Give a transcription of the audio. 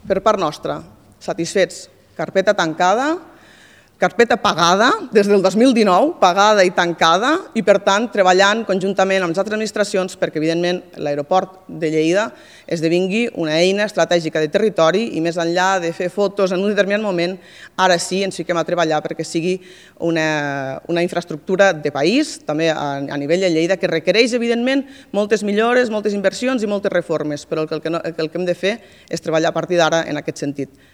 per part nostra, satisfets, carpeta tancada, carpeta pagada des del 2019, pagada i tancada, i per tant treballant conjuntament amb les altres administracions perquè evidentment l'aeroport de Lleida esdevingui una eina estratègica de territori i més enllà de fer fotos en un determinat moment, ara sí ens fiquem a treballar perquè sigui una infraestructura de país, també a nivell de Lleida, que requereix evidentment moltes millores, moltes inversions i moltes reformes, però el que hem de fer és treballar a partir d'ara en aquest sentit.